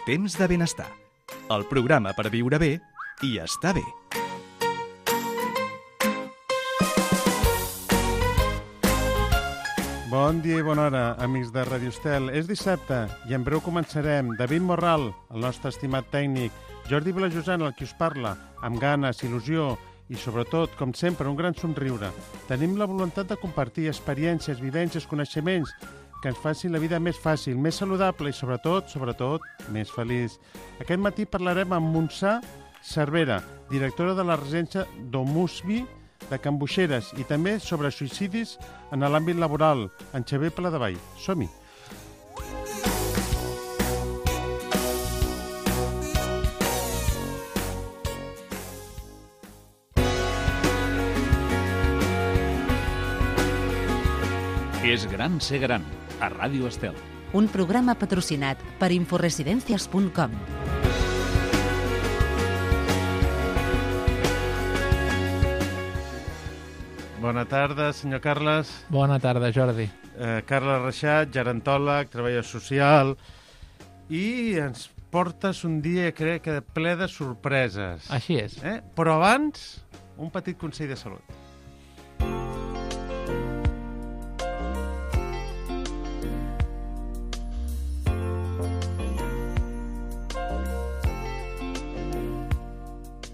Temps de benestar. El programa per viure bé i estar bé. Bon dia i bona hora, amics de Radio Estel. És dissabte i en breu començarem. David Morral, el nostre estimat tècnic, Jordi Vilajosant, el qui us parla, amb ganes, il·lusió i, sobretot, com sempre, un gran somriure. Tenim la voluntat de compartir experiències, vivències, coneixements que ens facin la vida més fàcil, més saludable i, sobretot, més feliç. Aquest matí parlarem amb Montse Cervera, directora de la residència Domusvi de Can Boixeres, i també sobre suïcidis en l'àmbit laboral, en Xavier Paladevall. Som-hi! És gran ser gran, a Ràdio Estel. Un programa patrocinat per inforesidencias.com. Bona tarda, senyor Carles. Bona tarda, Jordi. Carles Reixat, gerontòleg, treballador social, i ens portes un dia, crec que ple de sorpreses. Així és. Però abans, un petit consell de salut.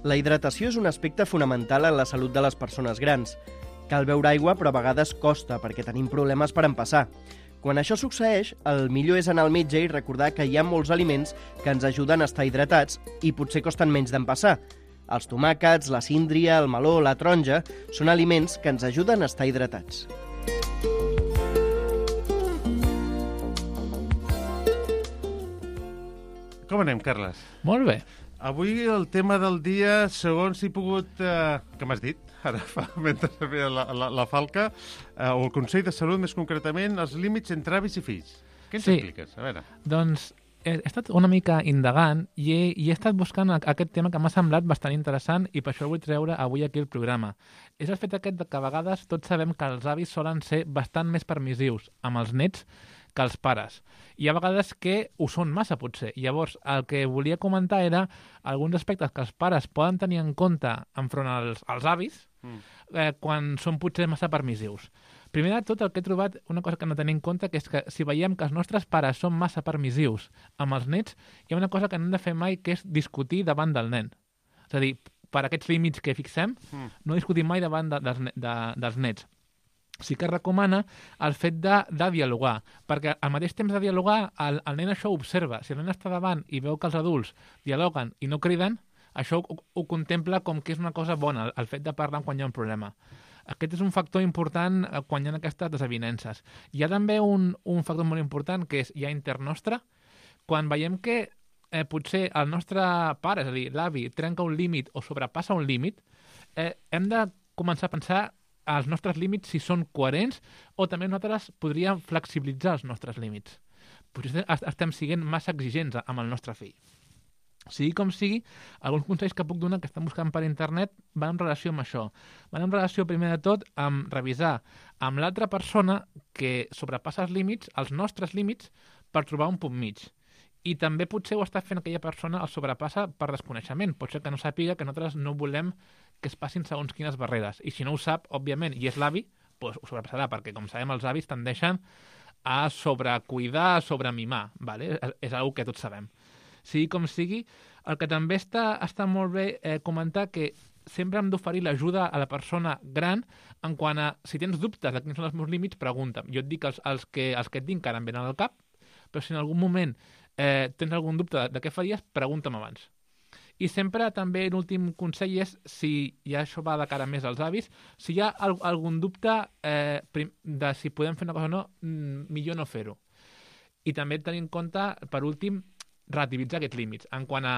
La hidratació és un aspecte fonamental en la salut de les persones grans. Cal beure aigua, però a vegades costa, perquè tenim problemes per empassar. Quan això succeeix, el millor és anar al metge i recordar que hi ha molts aliments que ens ajuden a estar hidratats i potser costen menys d'empassar. Els tomàquets, la síndria, el meló, la taronja són aliments que ens ajuden a estar hidratats. Com anem, Carles? Molt bé. Avui el tema del dia, segons he pogut... Què m'has dit? Ara mentre feia la falca, o el Consell de Salut, més concretament, els límits entre avis i fills. Què ens expliques? A veure. Doncs he estat una mica indagant i he estat buscant aquest tema que m'ha semblat bastant interessant i per això el vull treure avui aquí al programa. És el fet aquest que a vegades tots sabem que els avis solen ser bastant més permissius amb els nets que els pares. Hi ha vegades que ho són massa, potser. Llavors, el que volia comentar era alguns aspectes que els pares poden tenir en compte enfront als avis quan són potser massa permissius. Primer de tot, el que he trobat, una cosa que no tenim en compte, que és que si veiem que els nostres pares són massa permissius amb els nets, hi ha una cosa que no hem de fer mai, que és discutir davant del nen. És a dir, per aquests límits que fixem, no discutim mai davant dels nets. Sí que recomana el fet de dialogar, perquè al mateix temps de dialogar el nen això ho observa. Si el nen està davant i veu que els adults dialoguen i no criden, això ho contempla com que és una cosa bona, el fet de parlar quan hi ha un problema. Aquest és un factor important quan hi ha aquestes desavinences. Hi ha també un factor molt important, que és ja intern nostre. Quan veiem que potser el nostre pare, és a dir, l'avi, trenca un límit o sobrepassa un límit, hem de començar a pensar els nostres límits si són coherents o també nosaltres podríem flexibilitzar els nostres límits. Potser estem sent massa exigents amb el nostre fill. Sigui com sigui, alguns consells que puc donar que estem buscant per internet van en relació amb això. Van en relació, primer de tot, amb revisar amb l'altra persona que sobrepassa els límits, els nostres límits, per trobar un punt mig. I també potser ho està fent aquella persona, el sobrepassa per desconeixement. Pot ser que no sàpiga que nosaltres no volem que es passin segons quines barreres. I si no ho sap, òbviament, i és l'avi, doncs ho sobrepassarà, perquè, com sabem, els avis tendeixen a sobrecuidar, a sobremimar. ¿Vale? És una que tots sabem. Sigui com sigui, el que també està molt bé comentar que sempre hem d'oferir l'ajuda a la persona gran en quant a, si tens dubtes de quins són els meus límits, pregunta'm. Jo et dic els que et dic que ara em venen al cap, però si en algun moment tens algun dubte de què faries, pregunta'm abans. I sempre també l'últim consell és, si ja això va de cara més als avis, si hi ha algun dubte de si podem fer una cosa o no, millor no fer-ho. I també tenir en compte, per últim, relativitzar aquests límits. En quant a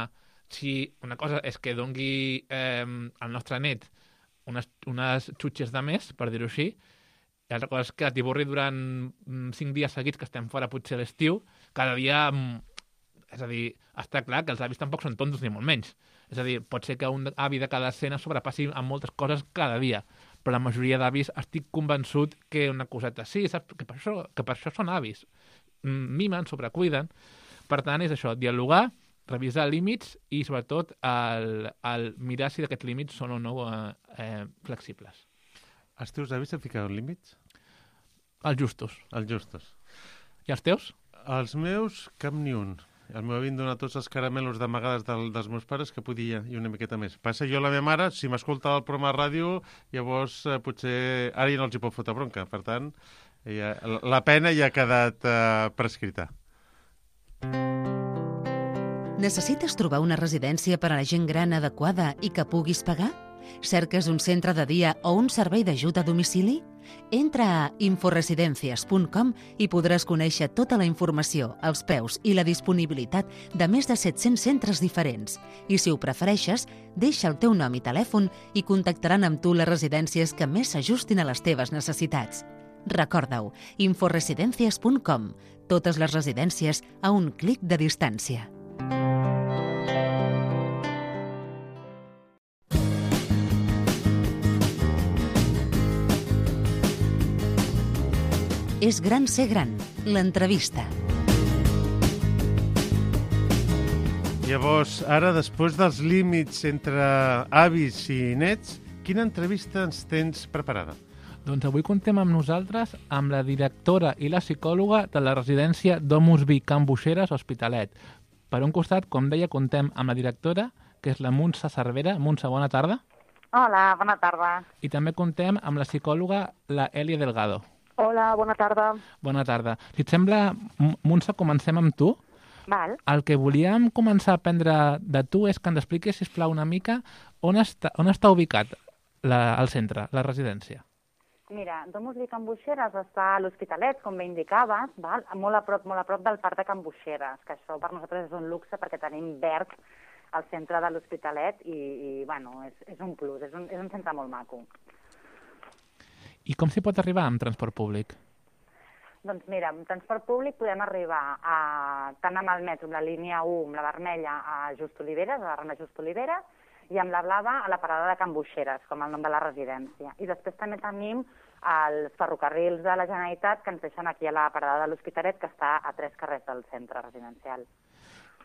si una cosa és que dongui al nostre net unes xutxes de més, per dir-ho així, i l'altra cosa és que t'hi borri durant 5 dies seguits que estem fora potser a l'estiu, cada dia... És a dir, està clar que els avis tampoc són tontos ni molt menys. És a dir, pot ser que un avi de cada escena sobrepassi amb moltes coses cada dia, però la majoria d'avis estic convençut que una coseta sí, saps? Que per això són avis. Mimen, sobrecuiden. Per tant, és això, dialogar revisar límits i, sobretot, el mirar si aquests límits són o no flexibles. Els teus avis et ficaven límits? Els justos. Els justos. I els teus? Els meus, cap ni un. El meu avi em dona tots els caramelos d'amagades dels meus pares que podia i una miqueta més. Passa, jo la meva mare, si m'escolta el programa de ràdio, llavors potser ara ja no els hi pot fotre bronca. Per tant, la pena ja ha quedat prescrita. Necessites trobar una residència per a la gent gran adequada i que puguis pagar? Cerques un centre de dia o un servei d'ajut a domicili? Entra a inforesidencias.com i podràs conèixer tota la informació, els preus i la disponibilitat de més de 700 centres diferents. I si ho prefereixes, deixa el teu nom i telèfon i contactaran amb tu les residències que més s'ajustin a les teves necessitats. Recorda-ho, inforesidencias.com. Totes les residències a un clic de distància. És gran ser gran, l'entrevista. Llavors, ara, després dels límits entre avis i nets, quina entrevista ens tens preparada? Doncs avui contem amb nosaltres amb la directora i la psicòloga de la residència Domus Vi Can Buixeres Hospitalet. Per un costat, com deia, contem amb la directora, que és la Muntsa Cervera. Muntsa, bona tarda. Hola, bona tarda. I també contem amb la psicòloga, la Èlia Delgado. Hola, bona tarda. Bona tarda. Si et sembla, Muntsa, comencem amb tu. Val. El que volíem començar a aprendre de tu és que ens expliquis, sisplau, una mica on està ubicat el centre, la residència. Mira, Domus Vi Can Buixeres està a l'Hospitalet, com bé indicaves, val? Molt a prop del parc de Can Buixeres, que això per nosaltres és un luxe perquè tenim verd al centre de l'Hospitalet i bueno, és un plus, és un centre molt maco. I com s'hi pot arribar amb transport públic? Doncs mira, amb transport públic podem arribar tant amb el metro, amb la línia 1, amb la vermella, a Just Oliveres, a la Rambla Just Oliveres, i amb la blava a la parada de Can Buixeres, com el nom de la residència. I després també tenim els ferrocarrils de la Generalitat que ens deixen aquí a la parada de l'Hospitalet, que està a 3 carrers del centre residencial.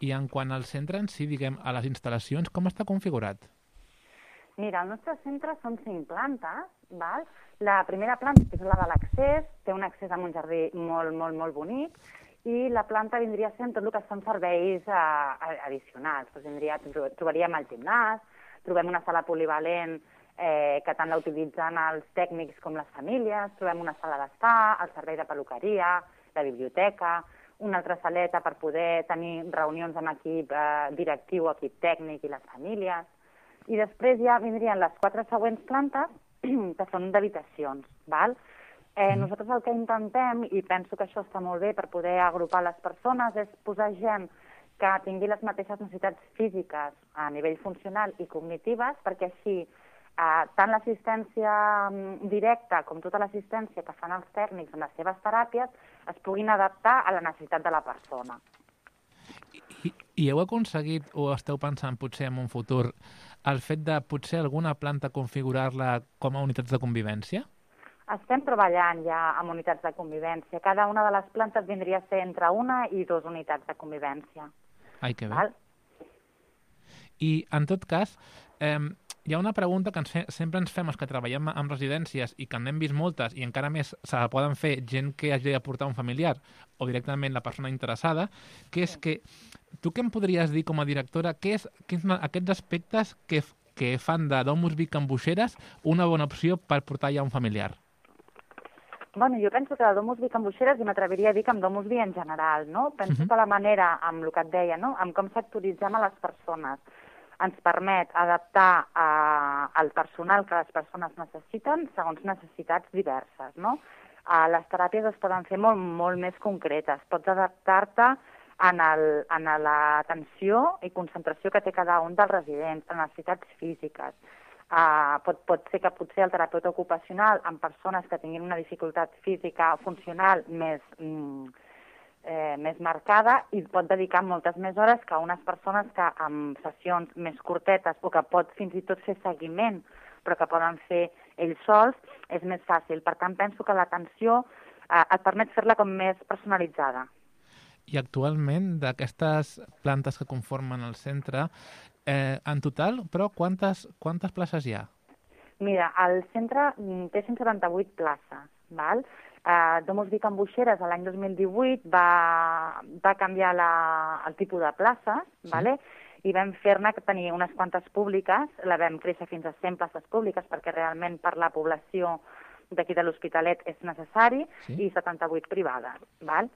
I en quant al centre en si, diguem, a les instal·lacions, com està configurat? Mira, el nostre centre són 5 plantes, val? La primera planta, que és la de l'accés, té un accés amb un jardí molt, molt, molt bonic, i la planta vindria sent tot el que són serveis addicionals. Doncs trobaríem el gimnàs, trobem una sala polivalent que tant la utilitzen els tècnics com les famílies, trobem una sala d'estar, el servei de peluqueria, la biblioteca, una altra saleta per poder tenir reunions amb equip directiu, equip tècnic i les famílies. I després ja vindrien les 4 següents plantes, que són d'habitacions, val? Nosaltres el que intentem, i penso que això està molt bé per poder agrupar les persones, és posar gent que tingui les mateixes necessitats físiques a nivell funcional i cognitives, perquè així tant l'assistència directa com tota l'assistència que fan els tècnics amb les seves teràpies es puguin adaptar a la necessitat de la persona. I heu aconseguit, o esteu pensant potser en un futur, el fet de potser alguna planta configurar-la com a unitats de convivència? Estem treballant ja amb unitats de convivència. Cada una de les plantes vindria a ser entre 1 i 2 unitats de convivència. Ai, que bé. Val? I, en tot cas, hi ha una pregunta que sempre ens fem els que treballem en residències i que n'hem vist moltes i encara més se la poden fer gent que hagi de portar un familiar o directament la persona interessada, que és que tu què em podries dir com a directora, quins són aquests aspectes que fan de Domus Vi Can Buixeres una bona opció per portar ja un familiar? Bueno, jo penso que de Domus Vi Can Buixeres, i m'atreviria a dir que amb Domus Vi en general, no? Penso que la manera, amb el que et deia, no? Amb com sectoritzem a les persones, ens permet adaptar al personal que les persones necessiten segons necessitats diverses, no? Les teràpies es poden fer molt, molt més concretes. Pots adaptar-te en l'atenció i concentració que té cada un dels residents, en necessitats físiques. Pot ser que potser el terapeuta ocupacional amb persones que tinguin una dificultat física funcional més marcada i pot dedicar moltes més hores que unes persones que amb sessions més curtetes o que pot fins i tot fer seguiment però que poden fer ells sols, és més fàcil. Per tant, penso que l'atenció et permet fer-la com més personalitzada. I actualment, d'aquestes plantes que conformen el centre, en total, però, quantes places hi ha? Mira, el centre té 178 places, val? Domus Vic amb Boixeres l'any 2018 va canviar el tipus de places, vale? I vam fer-ne tenir unes quantes públiques, la vam créixer fins a 100 places públiques perquè realment per la població d'aquí de l'Hospitalet és necessari, i 78 privades, val?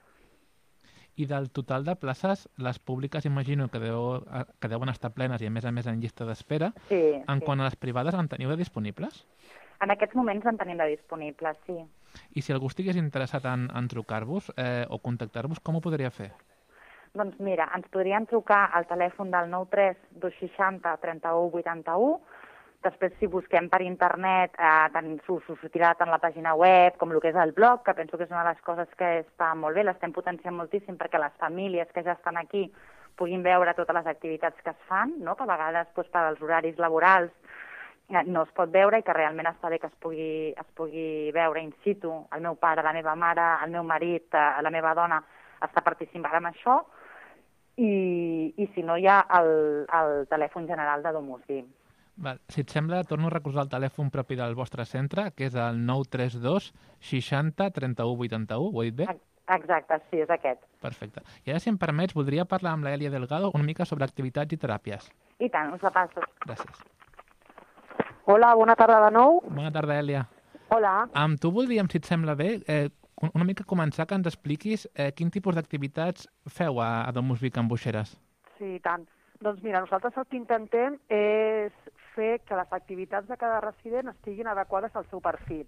I del total de places, les públiques imagino que deuen estar plenes i a més en llista d'espera. Quant a les privades, en teniu de disponibles? En aquests moments en tenim de disponibles, sí. I si algú estigués interessat en trucar-vos o contactar-vos, com ho podria fer? Doncs mira, ens podrien trucar al telèfon del 93 260 31 81. Després, si busquem per internet, s'ho sortirà tant la pàgina web com el que és el blog, que penso que és una de les coses que està molt bé, l'estem potenciant moltíssim perquè les famílies que ja estan aquí puguin veure totes les activitats que es fan, no? Que a vegades per als horaris laborals no es pot veure i que realment està bé que es pugui veure in situ. El meu pare, la meva mare, el meu marit, la meva dona està participant en això i si no hi ha el telèfon general de Domus Vic. Si et sembla, torno a recordar el telèfon propi del vostre centre, que és el 932 60 31 81, ho he dit bé? Exacte, sí, és aquest. Perfecte. I ara, si em permets, voldria parlar amb l'Èlia Delgado una mica sobre activitats i teràpies. I tant, us la passo. Gràcies. Hola, bona tarda de nou. Bona tarda, Èlia. Hola. Amb tu voldríem, si et sembla bé, una mica començar que ens expliquis quin tipus d'activitats feu a Domus Vic amb Boixeres. Sí, i tant. Doncs mira, nosaltres el que intentem és fer que les activitats de cada resident estiguin adequades al seu perfil.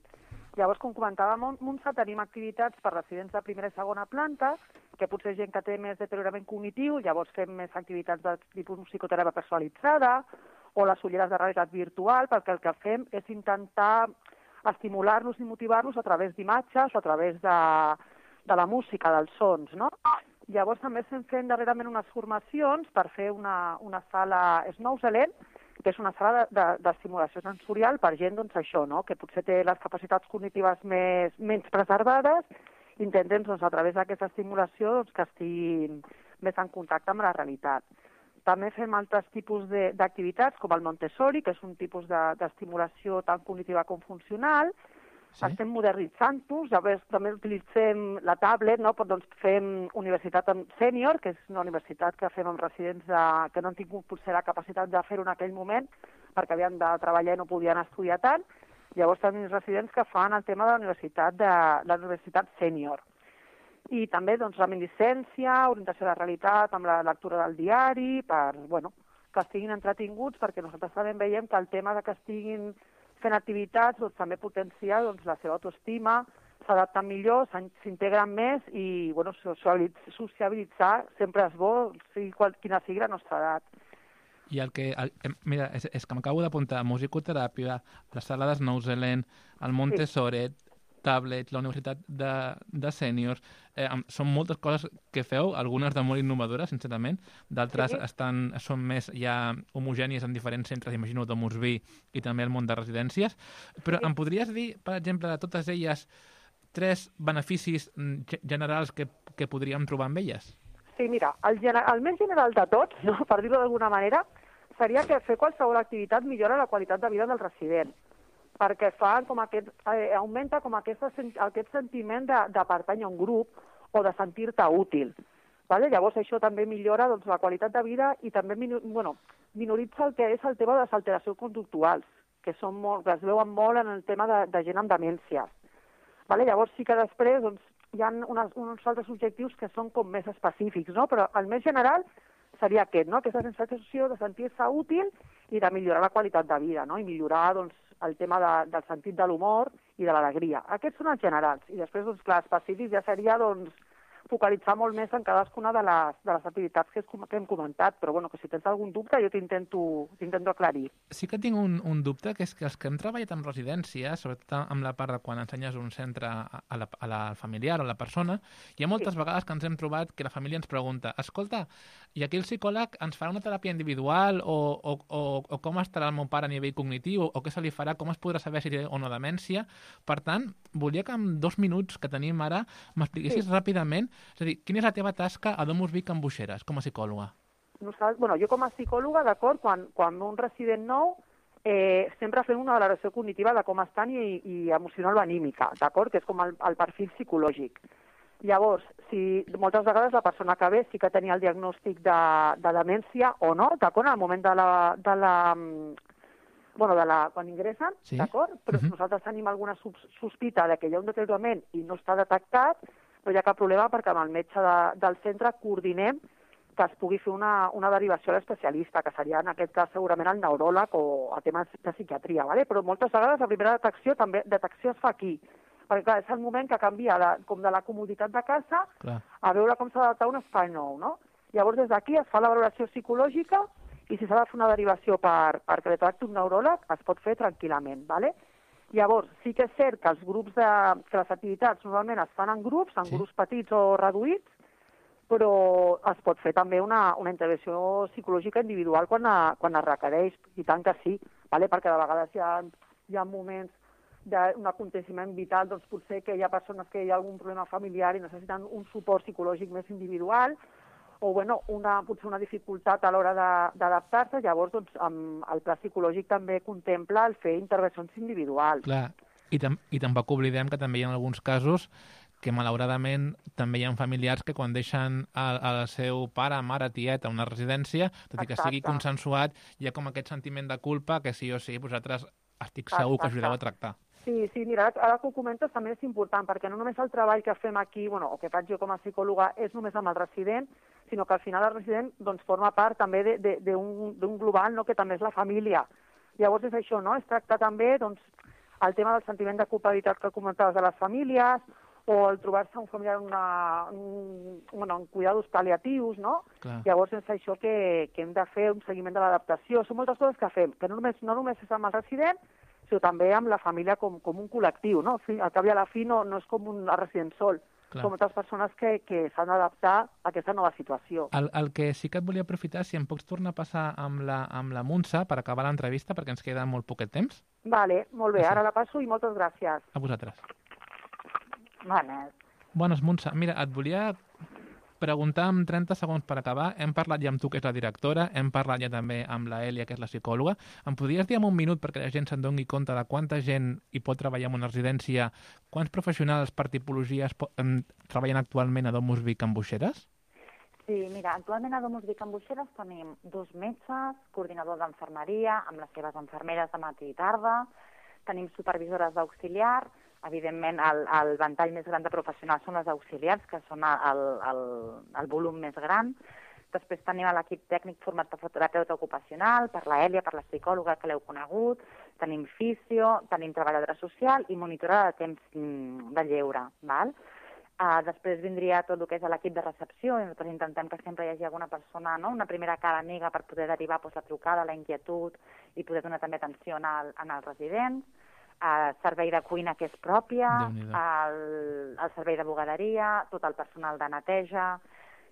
Llavors, com comentàvem, a Montse tenim activitats per residents de primera i segona planta, que potser gent que té més deteriorament cognitiu, llavors fem més activitats de tipus psicoteràpia personalitzada o les ulleres de realitat virtual, perquè el que fem és intentar estimular-los i motivar-los a través d'imatges o a través de la música, dels sons, no? Llavors també estem fent darrerament unes formacions per fer una sala Snowzelent, que és una sala d'estimulació sensorial per gent, doncs això, no? Que potser té les capacitats cognitives menys preservades. Intentem, doncs, a través d'aquesta estimulació, doncs, que estiguin més en contacte amb la realitat. També fem altres tipus d'activitats, com el Montessori, que és un tipus d'estimulació tant cognitiva com funcional. Sí. Estem modernitzant-nos, també utilitzem la tablet, no? Doncs fem universitat sènior, que és una universitat que fem amb residents que no han tingut potser la capacitat de fer-ho en aquell moment, perquè havien de treballar i no podien estudiar tant. Llavors tenim residents que fan el tema de la universitat sènior. I també doncs, reminiscència, orientació de la realitat amb la lectura del diari, que estiguin entretinguts, perquè nosaltres també veiem que el tema de que estiguin fent activitats doncs, també potencia la seva autoestima, s'adapten millor, s'integren més i sociabilitzar sempre és bo, quina sigui la nostra edat. I mira, és que m'acabo d'apuntar musicoteràpia, la sala de Snowzelent, el Montessori, tablet, la universitat de sèniors, són moltes coses que feu, algunes de molt innovadores, sincerament, d'altres són més ja homogènies en diferents centres, imagino Domus Vic i també el món de residències, però em podries dir, per exemple, de totes elles, 3 beneficis generals que podríem trobar amb elles? Sí, mira, el més general de tots, no? Per dir-ho d'alguna manera, seria que fer qualsevol activitat millora la qualitat de vida del resident, perquè augmenta com aquest sentiment de pertànyer a un grup o de sentir-te útil. Vale? Llavors això també millora la qualitat de vida i també minoritza el que és el tema de les alteracions conductuals, que es veuen molt en el tema de gent amb demències. Vale? Llavors sí que després hi ha uns altres objectius que són com més específics, no? Però el més general seria aquest, no? Aquesta sensació de sentir-se útil i de millorar la qualitat de vida, no? I millorar el tema del sentit de l'humor i de l'alegria. Aquests són els generals. I després, clar, específics ja seria focalitzar molt més en cadascuna de les activitats que hem comentat, però que si tens algun dubte jo t'intento aclarir. Sí que tinc un dubte, que és que els que hem treballat en residències, sobretot amb la part de quan ensenyes un centre a la familiar o a la persona, hi ha moltes vegades que ens hem trobat que la família ens pregunta, escolta, i aquí el psicòleg ens farà una teràpia individual o com estarà el meu pare a nivell cognitiu o què se li farà, com es podrà saber si té o no demència. Per tant, volia que en 2 minuts que tenim ara m'expliquessis ràpidament És a dir, quina és la teva tasca a Domus Vic amb Buixeres, com a psicòloga? Jo com a psicòloga, d'acord, quan un resident nou, sempre fem una valoració cognitiva de com estan i emocional o anímica, d'acord? Que és com el perfil psicològic. Llavors, si moltes vegades la persona que ve sí que tenia el diagnòstic de demència o no, d'acord, en el moment quan ingressen, sí? D'acord? Però si nosaltres tenim alguna sospita de que hi ha un deteriorament i no està detectat, no hi ha cap problema perquè amb el metge del centre coordinem que es pugui fer una derivació a l'especialista, que seria en aquest cas segurament el neuròleg o a temes de psiquiatria, ¿vale? Però moltes vegades la primera detecció es fa aquí, perquè clar, és el moment que canvia com de la comoditat de casa a veure com s'ha d'adaptar un espai nou, no? Llavors des d'aquí es fa la valoració psicològica i si s'ha de fer una derivació perquè li tracti un neuròleg es pot fer tranquil·lament, ¿vale? Llavors, sí que és cert que que les activitats normalment es fan en grups petits o reduïts, però es pot fer també una intervenció psicològica individual quan es requereix, i tant que sí, ¿vale? Perquè de vegades hi ha moments d'un aconteciment vital, doncs potser que hi ha persones que hi ha algun problema familiar i necessiten un suport psicològic més individual, o potser una dificultat a l'hora d'adaptar-se, llavors el pla psicològic també contempla el fer intervencions individuals. Clar, i tampoc oblidem que també hi ha alguns casos que malauradament també hi ha familiars que quan deixen el seu pare, mare, tiet a una residència, tot i que sigui consensuat, hi ha com aquest sentiment de culpa que sí o sí vosaltres estic segur que ajudeu a tractar. Sí, mira, ara que ho comentes també és important, perquè no només el treball que fem aquí, o que faig jo com a psicòloga, és només amb el resident, sinó que al final el resident forma part també d'un global, que també és la família. Llavors és això, no? És tractar també el tema del sentiment de culpabilitat que comentaves de les famílies, o el trobar-se un familiar en cuidados pal·liatius, no? Clar. Llavors és això que hem de fer un seguiment de l'adaptació. Són moltes coses que fem, que no només és amb el resident, sinó també amb la família com un col·lectiu, no? Al cap i a la fi no és com un resident sol. Clar. Són moltes persones que s'han d'adaptar a aquesta nova situació. El que sí que et volia aprofitar, si em pots tornar a passar amb la Montse per acabar l'entrevista, perquè ens queda molt poquet temps. Vale, molt bé, ara la passo i moltes gràcies. A vosaltres. Bones, Montse. Mira, et volia preguntar en 30 segons per acabar. Hem parlat ja amb tu, que és la directora, hem parlat ja també amb la Èlia, que és la psicòloga. Em podries dir en un minut, perquè la gent se'n doni compte de quanta gent hi pot treballar en una residència, quants professionals per tipologies treballen actualment a Domus Vic amb Buixeres? Sí, mira, actualment a Domus Vic amb Buixeres tenim 2 metges, coordinador d'enfermeria, amb les seves enfermeres de matí i tarda, tenim supervisores d'auxiliar. Evidentment, el ventall més gran de professionals són les auxiliars, que són el volum més gran. Després tenim l'equip tècnic format per terapeuta ocupacional, per la Èlia, per la psicòloga que l'heu conegut, tenim fisio, tenim treballadora social i monitora de temps de lleure. Val? Després vindria tot el que és l'equip de recepció, i nosaltres intentem que sempre hi hagi alguna persona, no? Una primera cara amiga per poder derivar la trucada, la inquietud i poder donar també atenció als residents. Servei de cuina, que és pròpia, el servei de bugaderia, tot el personal de neteja...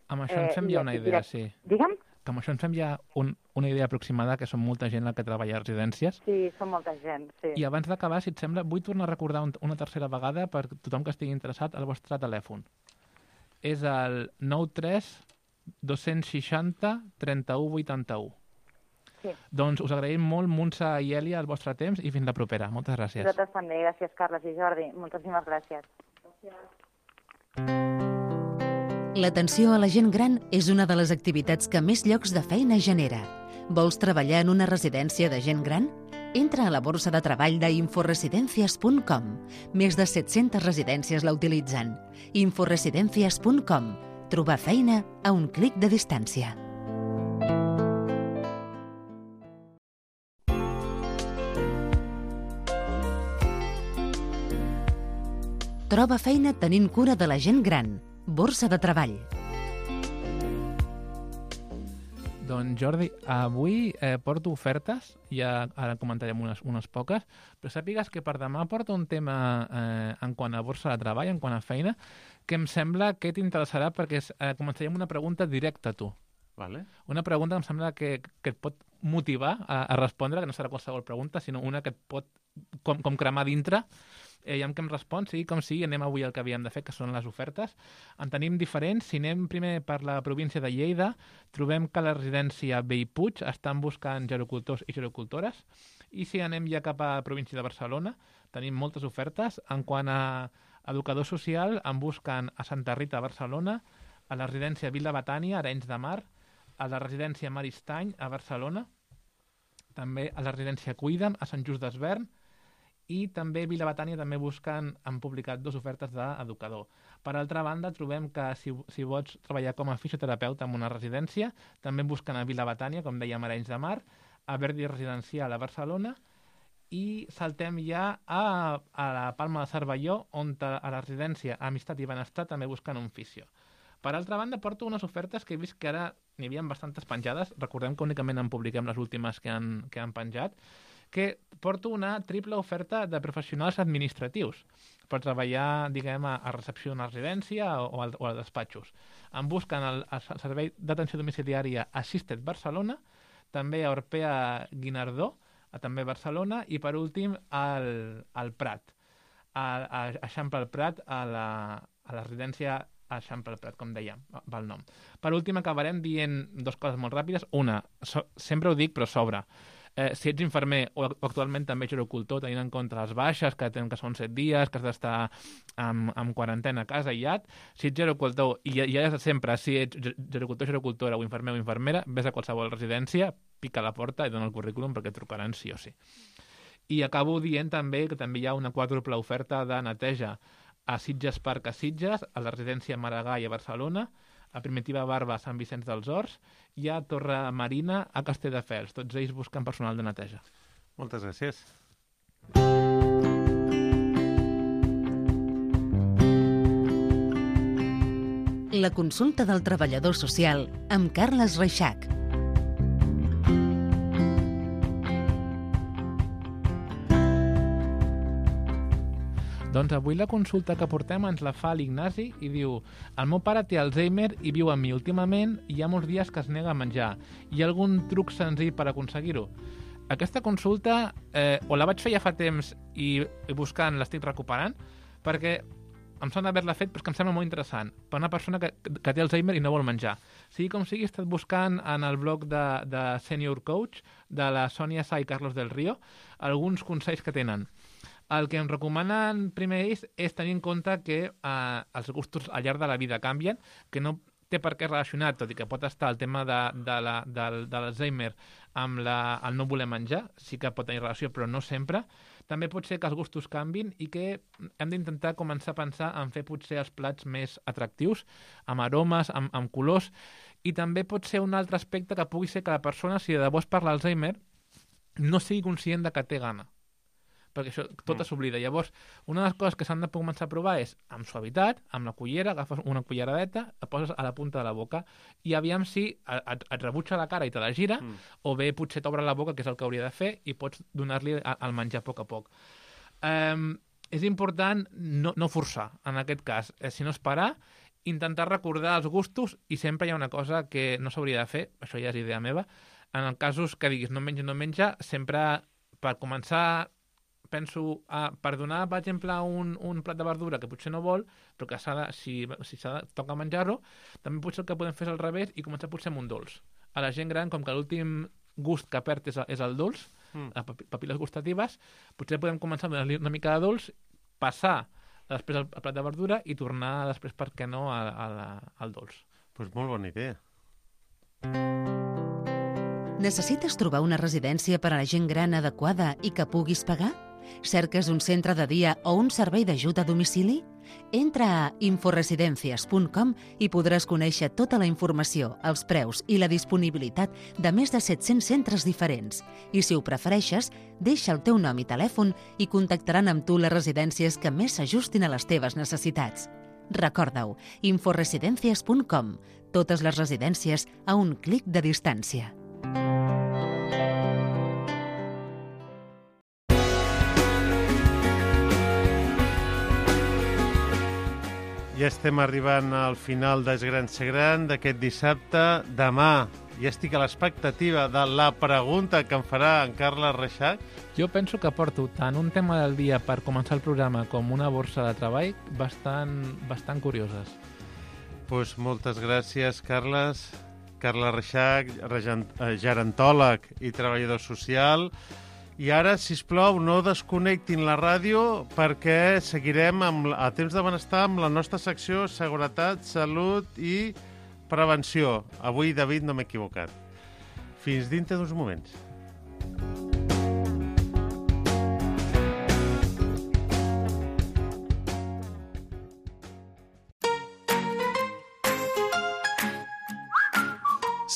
Amb això ens fem ja una idea, sí. Digue'm? Que amb això ens fem ja una idea aproximada, que són molta gent la que treballa a residències. Sí, són molta gent, sí. I abans d'acabar, si et sembla, vull tornar a recordar una tercera vegada per tothom que estigui interessat el vostre telèfon. És el 93 260 31 81. Sí. Doncs us agraïm molt, Montse i Èlia, el vostre temps i fins la propera. Moltes gràcies. Vosaltres també. Gràcies, Carles i Jordi. Moltíssimes gràcies. L'atenció a la gent gran és una de les activitats que més llocs de feina genera. Vols treballar en una residència de gent gran? Entra a la borsa de treball d'inforesidencias.com. Més de 700 residències la utilitzen. Inforesidencias.com. Trobar feina a un clic de distància. Troba feina tenint cura de la gent gran. Borsa de treball. Doncs Jordi, avui porto ofertes, ja ara comentarem unes poques, però sàpigues que per demà porto un tema en quant a borsa de treball, en quant a feina, que em sembla que t'interessarà perquè començarem una pregunta directa a tu. Vale. Una pregunta que em sembla que et pot motivar a respondre, que no serà qualsevol pregunta, sinó una que et pot com cremar dintre Aviam què em respon, sigui com sigui, anem avui al que havíem de fer, que són les ofertes. En tenim diferents. Si anem primer per la província de Lleida, trobem que la residència Bellpuig estan buscant gerocultors i gerocultores. I si anem ja cap a la província de Barcelona, tenim moltes ofertes. En quant a educador social, en busquen a Santa Rita, a Barcelona, a la residència Vila Betània, a Arenys de Mar, a la residència Maristany, a Barcelona, també a la residència Cuida'm, a Sant Just d'Esvern, i també Vila Betània també han publicat 2 ofertes d'educador. Per altra banda, trobem que si vols treballar com a fisioterapeuta en una residència, també busquen a Vila Betània, com dèiem, a Arenys de Mar, a Verdi Residencial, a Barcelona, i saltem ja a la Palma de Cervelló, on a la residència Amistat i Benestar també busquen un fisio. Per altra banda, porto unes ofertes que he vist que ara n'hi havia bastantes penjades. Recordem que únicament en publiquem les últimes que han penjat. Que porto una triple oferta de professionals administratius per treballar, diguem, a recepció d'una residència o a despatxos. En busquen el servei d'atenció domiciliària Assisted Barcelona, també a Orpea Guinardó, també a Barcelona, i per últim al Prat, a Eixample al Prat, a la residència a Eixample al Prat, com dèiem, va el nom. Per últim acabarem dient 2 coses molt ràpides. Una, sempre ho dic, però sobre. Si ets infermer o actualment també gerocultor, tenint en compte les baixes, que són 7 dies, que has d'estar en quarantena a casa aïllat, si ets gerocultor, i ja des de sempre, si ets gerocultor, gerocultora o infermer o infermera, vés a qualsevol residència, pica a la porta i dona el currículum perquè et trucaran sí o sí. I acabo dient també que també hi ha una quàdruple oferta de neteja a Sitges Parc a Sitges, a la residència Maragall a Barcelona, a Primitiva Barba a Sant Vicenç dels Horts i a Torre Marina a Castelldefels. Tots ells busquen personal de neteja. Moltes gràcies. La consulta del treballador social amb Carles Reixac. Doncs avui la consulta que portem ens la fa l'Ignasi i diu: el meu pare té Alzheimer i viu amb mi. Últimament hi ha molts dies que es nega a menjar. Hi ha algun truc senzill per aconseguir-ho? Aquesta consulta o la vaig fer ja fa temps i buscant l'estic recuperant, perquè em sona haver-la fet, però que em sembla molt interessant. Per una persona que té Alzheimer i no vol menjar. Sigui com sigui, he estat buscant en el blog de Senior Coach, de la Sònia Sá i Carlos del Río, alguns consells que tenen. El que em recomanen primer ells és tenir en compte que els gustos al llarg de la vida canvien, que no té per què relacionar, tot i que pot estar el tema de l'Alzheimer amb el no voler menjar, sí que pot tenir relació, però no sempre. També pot ser que els gustos canvin i que hem d'intentar començar a pensar en fer potser els plats més atractius, amb aromes, amb colors, i també pot ser un altre aspecte que pugui ser que la persona, si de debò és per l'Alzheimer, no sigui conscient de que té gana, perquè això tot s'oblida. Llavors, una de les coses que s'han de començar a provar és amb suavitat, amb la cullera, agafes una culleradeta, la poses a la punta de la boca i aviam si et rebutja la cara i te la gira, o bé potser t'obre la boca, que és el que hauria de fer, i pots donar-li el menjar a poc a poc. És important no forçar, en aquest cas. Si no és parar, intentar recordar els gustos, i sempre hi ha una cosa que no s'hauria de fer, això ja és idea meva, en els casos que diguis no menja, sempre per començar penso, per donar, per exemple, un plat de verdura que potser no vol, però que si toca menjar-lo, també potser el que podem fer és al revés i començar potser amb un dolç. A la gent gran, com que l'últim gust que perd és el dolç, les papil·les gustatives, potser podem començar a donar-li una mica de dolç, passar després al plat de verdura i tornar després, per què no, al dolç. Doncs molt bona idea. Necessites trobar una residència per a la gent gran adequada i que puguis pagar? Cerques un centre de dia o un servei d'ajut a domicili? Entra a inforesidencias.com i podràs conèixer tota la informació, els preus i la disponibilitat de més de 700 centres diferents. I si ho prefereixes, deixa el teu nom i telèfon i contactaran amb tu les residències que més s'ajustin a les teves necessitats. Recorda-ho, inforesidencias.com. Totes les residències a un clic de distància. Ja estem arribant al final d'És Gran Ser Gran d'aquest dissabte. Demà i estic a l'expectativa de la pregunta que em farà en Carles Reixac. Jo penso que porto tant un tema del dia per començar el programa com una borsa de treball bastant curioses. Pues moltes gràcies, Carles. Carles Reixac, gerontòleg i treballador social. I ara, sisplau, no desconnectin la ràdio perquè seguirem a Temps de Benestar amb la nostra secció Seguretat, Salut i Prevenció. Avui, David, no m'he equivocat. Fins dintre d'uns moments.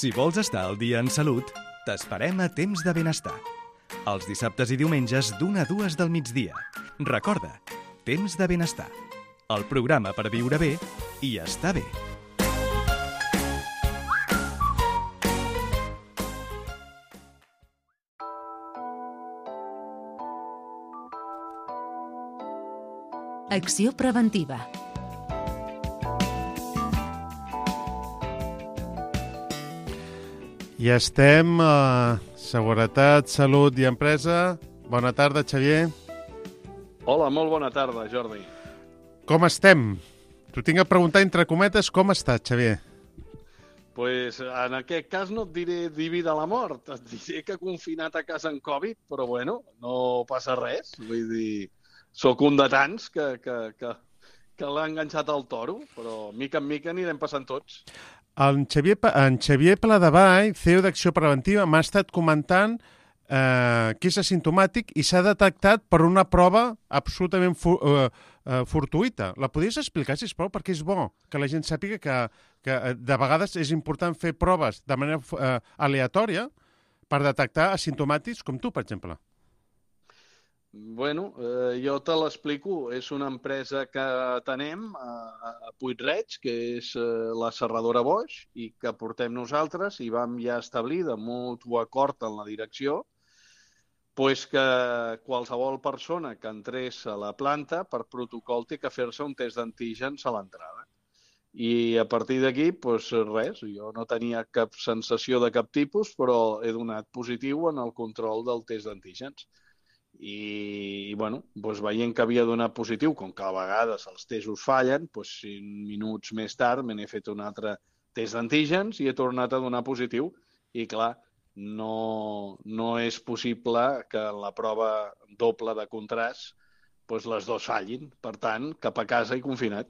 Si vols estar al dia en salut, t'esperem a Temps de Benestar. Els dissabtes i diumenges d'1 a 2 del migdia. Recorda, Temps de Benestar. El programa per viure bé i estar bé. Acció preventiva. I estem a Seguretat, Salut i Empresa. Bona tarda, Xavier. Hola, molt bona tarda, Jordi. Com estem? T'ho tinc a preguntar entre cometes, com estàs, Xavier? Pues en aquest cas no et diré diví de la mort, et diré que confinat a casa en Covid, però bueno, no passa res. Vull dir, sóc un de tants que l'ha enganxat al toro, però mica en mica anirem passant tots. En Xavier Pladevall, CEO d'Acció Preventiva, m'ha estat comentant que és asimptomàtic i s'ha detectat per una prova absolutament fortuïta. La podries explicar, sisplau, perquè és bo que la gent sàpiga que de vegades és important fer proves de manera aleatòria per detectar asimptomàtics com tu, per exemple. Bueno, jo te l'explico. És una empresa que tenem a Puig-reig, que és la serradora Bosch, i que portem nosaltres, i vam ja establir de mutu acord en la direcció pues que qualsevol persona que entrés a la planta per protocol té que fer-se un test d'antígens a l'entrada. I a partir d'aquí, pues res, jo no tenia cap sensació de cap tipus, però he donat positiu en el control del test d'antígens. I bueno, doncs veient que havia donat positiu, com que a vegades els testos fallen, doncs 5 minuts més tard me n'he fet un altre test d'antígens i he tornat a donar positiu. I clar, no és possible que en la prova doble de contrast doncs les dues fallin. Per tant, cap a casa i confinat.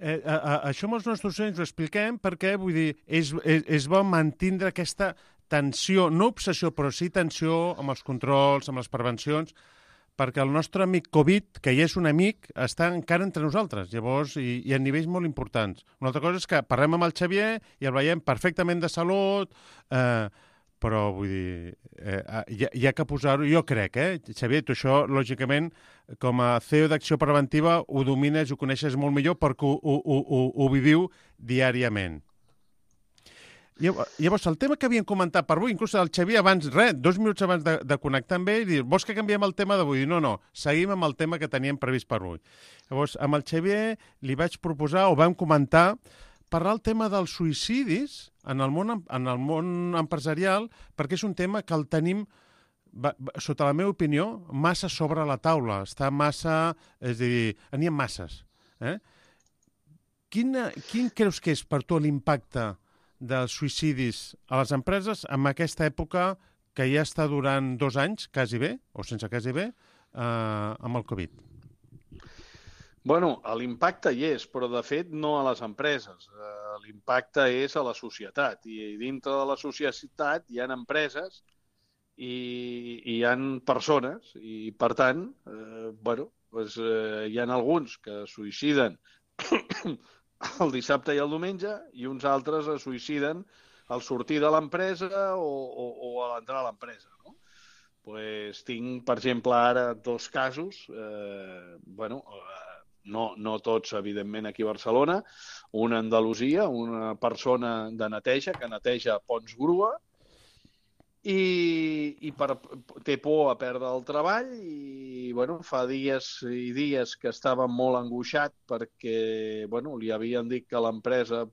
Això amb els nostres docents ho expliquem perquè, vull dir, és bo mantindre aquesta tensió, no obsessió, però sí tensió amb els controls, amb les prevencions, perquè el nostre amic Covid, que ja és un amic, està encara entre nosaltres, llavors, i a nivells molt importants. Una altra cosa és que parlem amb el Xavier i el veiem perfectament de salut, però, vull dir, hi ha que posar-ho, jo crec, Xavier, tu això, lògicament, com a CEO d'Acció Preventiva, ho domines, ho coneixes molt millor perquè ho viviu diàriament. Llavors, el tema que havíem comentat per avui, inclús el Xavier abans, 2 minuts abans de connectar amb ell, i dir, vols que canviem el tema d'avui? No, seguim amb el tema que teníem previst per avui. Llavors, amb el Xavier li vaig proposar, o vam comentar, parlar el tema dels suïcidis en el món empresarial, perquè és un tema que el tenim, sota la meva opinió, massa sobre la taula. Està massa... És a dir, n'hi ha masses. Quin creus que és per tu l'impacte dels suïcidis a les empreses en aquesta època que ja està durant 2 anys, quasi bé, o sense quasi bé, amb el Covid? Bueno, l'impacte hi és, però de fet no a les empreses. L'impacte és a la societat. I dintre de la societat hi ha empreses i hi ha persones. I, per tant, hi ha alguns que es suïciden el dissabte i el diumenge i uns altres es suïciden al sortir de l'empresa o a l'entrar a l'empresa. Tinc, per exemple, ara 2 casos, no tots, evidentment, aquí a Barcelona, una a Andalusia, una persona de neteja que neteja ponts grua i té por a perdre el treball i fa dies i dies que estava molt angoixat perquè li havien dit que l'empresa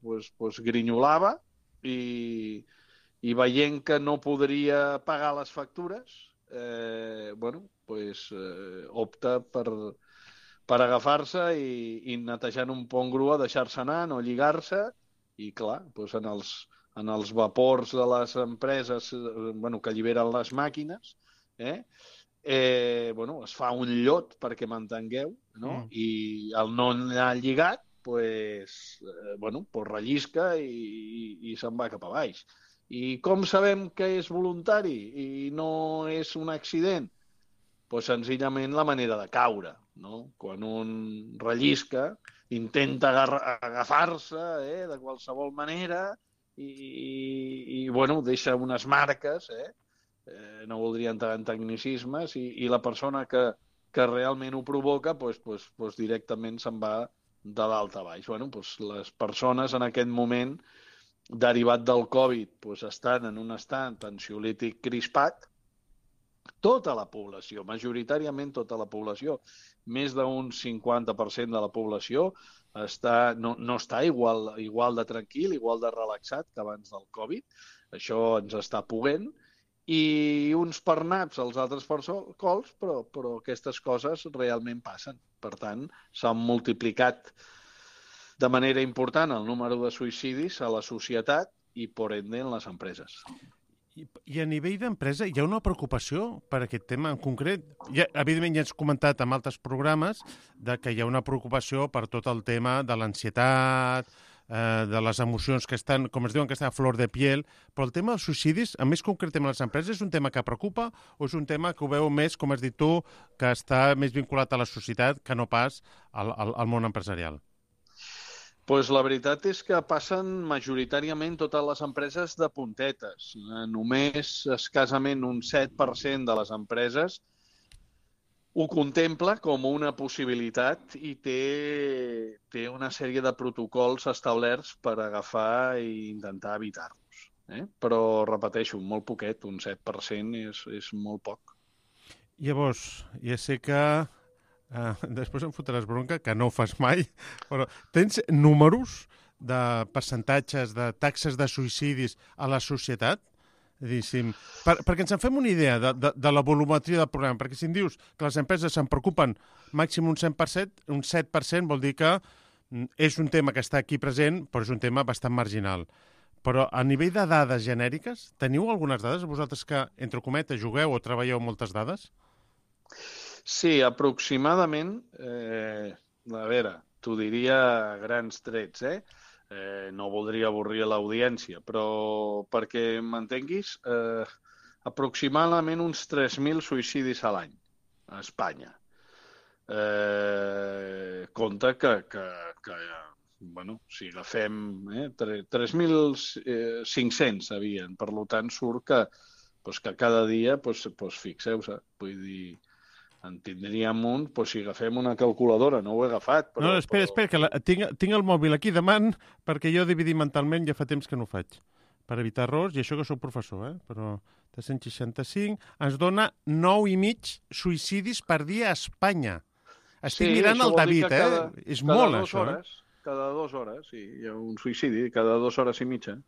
grinyolava i i veient que no podria pagar les factures, opta per agafar-se i netejant un pont grua, deixar-se anar, no lligar-se, i clar, doncs en els vapors de les empreses que alliberen les màquines, es fa un llot, perquè m'entengueu, no? I el no anar lligat, rellisca i se'n va cap a baix. I com sabem que és voluntari i no és un accident? Doncs senzillament la manera de caure, no? Quan un rellisca, intenta agafar-se de qualsevol manera i deixa unes marques, no voldria entrar en tecnicismes, i la persona que realment ho provoca directament se'n va de dalt a baix. Les persones en aquest moment, derivat del Covid, estan en un estat ansiolític crispat. Tota la població, majoritàriament tota la població, més d'un 50% de la població no està igual de tranquil, igual de relaxat que abans del Covid. Això ens està puguent. I uns per naps als altres per cols, però aquestes coses realment passen. Per tant, s'han multiplicat de manera important el número de suïcidis a la societat i, por ende, en les empreses. I a nivell d'empresa hi ha una preocupació per aquest tema en concret? Evidentment ja has comentat en altres programes que hi ha una preocupació per tot el tema de l'ansietat, de les emocions que estan, com es diuen, que estan a flor de piel, però el tema dels suïcidis, a més concretament a les empreses, és un tema que preocupa o és un tema que ho veu més, com has dit tu, que està més vinculat a la societat que no pas al món empresarial? La veritat és que passen majoritàriament totes les empreses de puntetes. Només escassament un 7% de les empreses ho contempla com una possibilitat i té una sèrie de protocols establerts per agafar i intentar evitar-los. Però, repeteixo, molt poquet, un 7% és molt poc. Llavors, ja sé que després em fotràs bronca, que no ho fas mai, però tens números de percentatges, de taxes de suïcidis a la societat? Perquè ens en fem una idea de la volumetria del programa, perquè si em dius que les empreses se'n preocupen màxim un 100%, un 7% vol dir que és un tema que està aquí present, però és un tema bastant marginal. Però a nivell de dades genèriques, teniu algunes dades? Vosaltres que, entre cometes, jugueu o treballeu moltes dades? Sí, aproximadament, a veure, t'ho diria a grans trets, no voldria avorrir l'audiència, però perquè m'entenguis, aproximadament uns 3.000 suïcidis a l'any a Espanya. Compte que si agafem 3.500 havien, per tant surt que cada dia, fixeu-se, vull dir, en tindríem un, si agafem una calculadora, no ho he agafat. No, espera, que tinc el mòbil aquí davant, perquè jo dividir mentalment ja fa temps que no ho faig, per evitar errors, i això que soc professor, però 365 ens dona 9,5 suïcidis per dia a Espanya. Estic mirant el David, és molt, això. Cada 2 hores, sí, hi ha un suïcidi, cada 2 hores i mitja.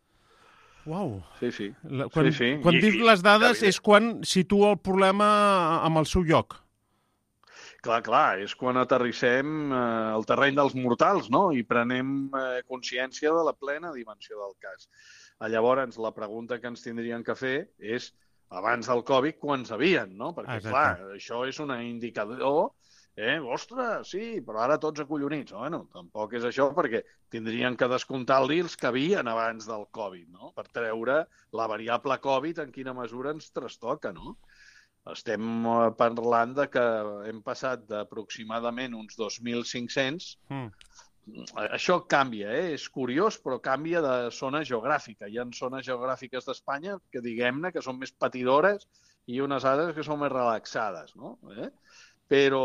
Uau. Sí. Quan dius les dades és quan situa el problema amb el seu lloc. Clar, és quan aterrissem al terreny dels mortals, no? I prenem consciència de la plena dimensió del cas. Llavors, la pregunta que ens tindrien que fer és, abans del Covid, quants havien, no? Perquè, clar, això és un indicador, ostres, sí, però ara tots acollonits. Bueno, tampoc és això, perquè tindrien que descomptar-li els que havien abans del Covid, no? Per treure la variable Covid en quina mesura ens trastoca, no? Estem parlant de que hem passat d'aproximadament uns 2.500. Això canvia, és curiós, però canvia de zona geogràfica. Hi ha zones geogràfiques d'Espanya que, diguem-ne, que són més patidores i unes altres que són més relaxades, no? Però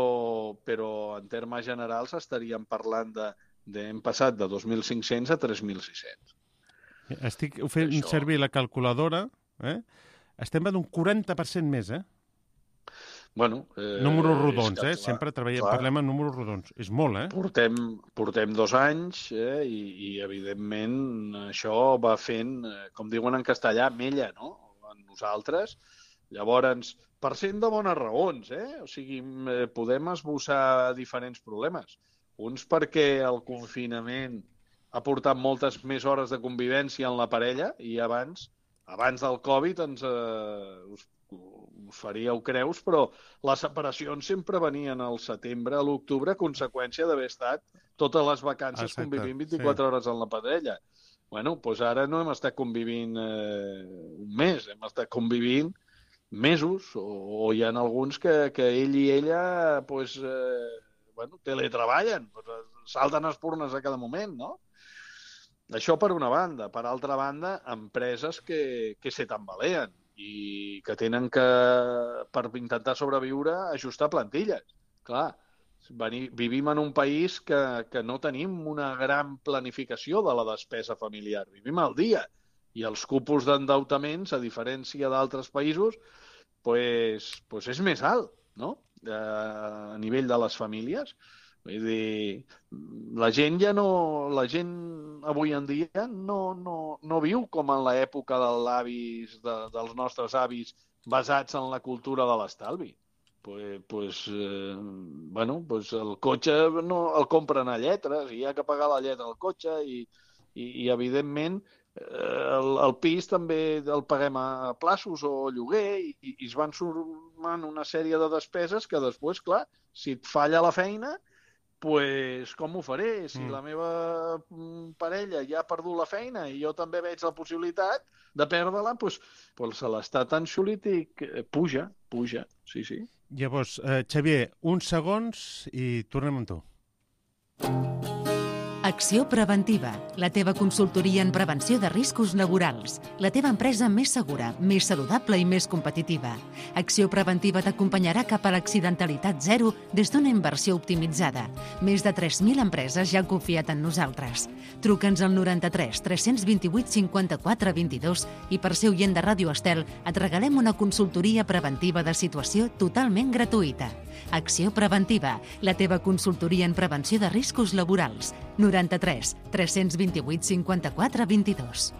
en termes generals estaríem parlant hem passat de 2.500 a 3.600. Estic fent servir la calculadora, estem d'un 40% més, Bueno, números rodons, és que, sempre parlem en números rodons. És molt, Portem 2 anys i evidentment, això va fent, com diuen en castellà, mella, no? En nosaltres. Llavors, per cent de bones raons, O sigui, podem esbossar diferents problemes. Uns perquè el confinament ha portat moltes més hores de convivència en la parella i abans del Covid us faríeu creus, però les separacions sempre venien al setembre, a l'octubre, a conseqüència d'haver estat totes les vacances convivint 24 hores en la parella. Bueno, doncs ara no hem estat convivint un mes, hem estat convivint mesos, o hi ha alguns que ell i ella teletreballen, salten espurnes a cada moment, no? Això per una banda. Per altra banda, empreses que se tambaleen i que tenen que, per intentar sobreviure, ajustar plantilles. Clar, vivim en un país que no tenim una gran planificació de la despesa familiar. Vivim al dia. I els cupos d'endeutaments, a diferència d'altres països, pues és més alt, no? A nivell de les famílies. Vull dir, la gent avui en dia no viu com en l'època dels nostres avis basats en la cultura de l'estalvi. El cotxe el compren a lletres i hi ha que pagar la lletra al cotxe i evidentment, el pis també el paguem a plaços o lloguer i es van sumant una sèrie de despeses que després, clar, si et falla la feina, com ho faré? Si la meva parella ja ha perdut la feina i jo també veig la possibilitat de perdre-la, se l'estat ansiolític puja, sí. Llavors, Xavier, uns segons i tornem amb tu. Acció Preventiva, la teva consultoria en prevenció de riscos laborals. La teva empresa més segura, més saludable i més competitiva. Acció Preventiva t'acompanyarà cap a l'accidentalitat zero des d'una inversió optimitzada. Més de 3.000 empreses ja han confiat en nosaltres. Truca'ns al 93 328 54 22 i per ser oient de Ràdio Estel et regalem una consultoria preventiva de situació totalment gratuïta. Acció Preventiva, la teva consultoria en prevenció de riscos laborals. 93 328 54 22.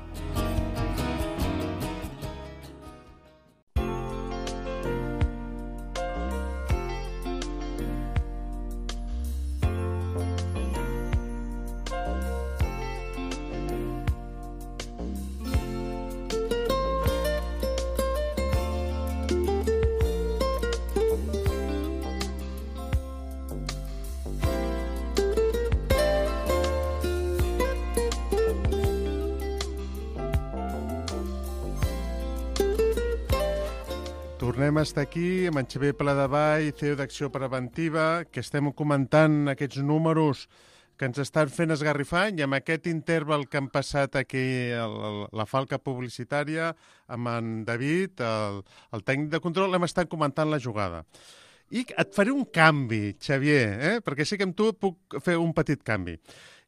Tornem a estar aquí amb en Xavier Pladevall, CEO d'Acció Preventiva, que estem comentant aquests números que ens estan fent esgarrifar i amb aquest interval que han passat aquí la falca publicitària amb en David, el tècnic de control, hem estat comentant la jugada. I et faré un canvi, Xavier, perquè sé que amb tu puc fer un petit canvi.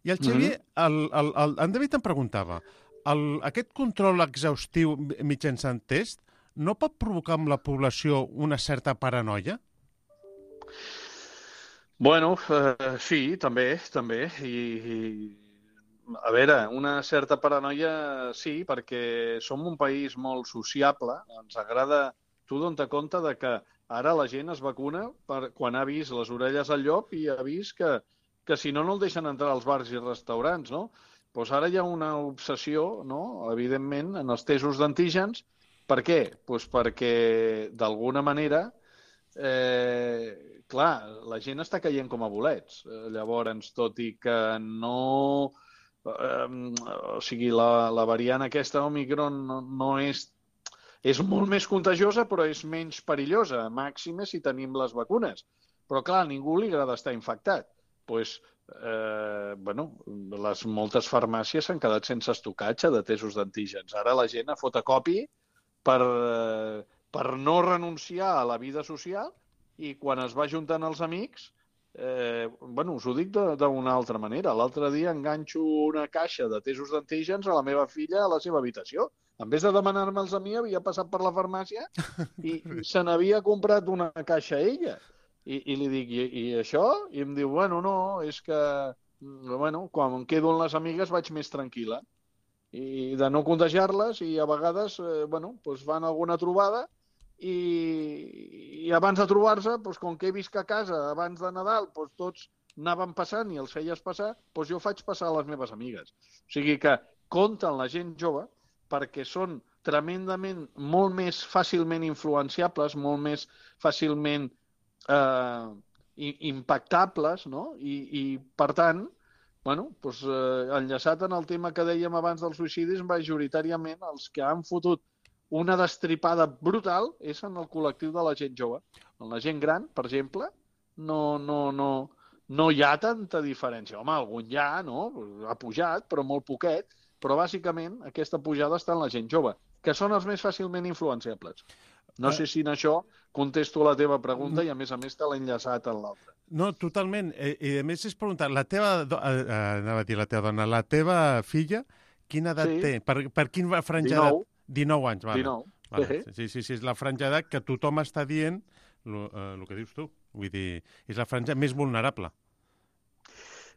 I el Xavier, en David em preguntava, aquest control exhaustiu mitjançant test no pot provocar en la població una certa paranoia? Bueno, sí, també. I a veure, una certa paranoia sí, perquè som un país molt sociable. Ens agrada... Tu dona't compte de que ara la gent es vacuna quan ha vist les orelles al llop i ha vist que si no el deixen entrar als bars i restaurants, no? Doncs ara hi ha una obsessió, no?, evidentment, en els testos d'antígens. Per què? Doncs perquè, d'alguna manera, clar, la gent està caient com a bolets. Llavors, tot i que no... o sigui, la variant aquesta, Omicron, no és... És molt més contagiosa, però és menys perillosa, màxima si tenim les vacunes. Però, clar, a ningú li agrada estar infectat. Doncs, les moltes farmàcies s'han quedat sense estocatge de testos d'antígens. Ara la gent a fotocopi per no renunciar a la vida social i quan es va juntant els amics us ho dic d'una altra manera. L'altre dia enganxo una caixa de tesos d'antígens a la meva filla a la seva habitació. En vez de demanar-me'ls a mi, havia passat per la farmàcia i se n'havia comprat una caixa a ella. I li dic, i això? I em diu, no, és que quan em quedo amb les amigues vaig més tranquil·la. I de no contagiar-les, i a vegades fan alguna trobada i abans de trobar-se, com que he vist que a casa abans de Nadal tots anaven passant i els feies passar, jo faig passar a les meves amigues. O sigui que compten la gent jove perquè són tremendament molt més fàcilment influenciables, molt més fàcilment impactables, no? I per tant, enllaçat en el tema que dèiem abans dels suïcidis, majoritàriament els que han fotut una destripada brutal és en el col·lectiu de la gent jove. En la gent gran, per exemple, no hi ha tanta diferència. Home, algun hi ha, no? Ha pujat, però molt poquet. Però bàsicament aquesta pujada està en la gent jove, que són els més fàcilment influenciables. No sé si en això contesto la teva pregunta i a més te l'he enllaçat en l'altra. No, totalment. I a més és preguntar, la teva filla, quina edat té? Per quina franja d'edat? 19 anys, vale. 19. Vale. Sí, és la franja d'edat que tothom està dient el que dius tu. Vull dir, és la franja més vulnerable.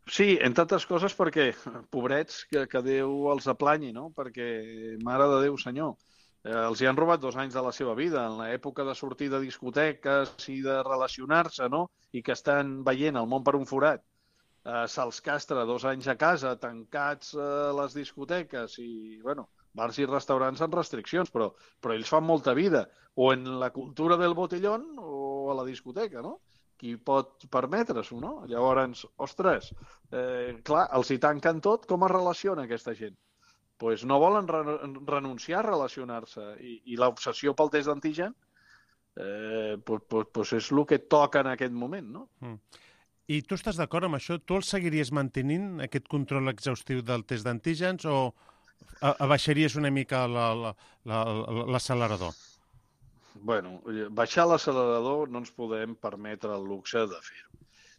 Sí, entre altres coses perquè, pobrets, que Déu els aplanyi, no? Perquè, mare de Déu, senyor, els hi han robat 2 anys de la seva vida, en l'època de sortir de discoteques i de relacionar-se, no? I que estan veient el món per un forat. Se'ls castra 2 anys a casa, tancats a les discoteques i, bars i restaurants amb restriccions, però ells fan molta vida, o en la cultura del botellón o a la discoteca, no? Qui pot permetre-s'ho, no? Llavors, ostres, clar, els hi tanquen tot, com es relaciona aquesta gent? Doncs no volen renunciar a relacionar-se, i l'obsessió pel test d'antigen és el que toca en aquest moment, no? I tu estàs d'acord amb això? Tu el seguiries mantenint, aquest control exhaustiu del test d'antígens, o abaixaries una mica l'accelerador? Baixar l'accelerador no ens podem permetre el luxe de fer-ho.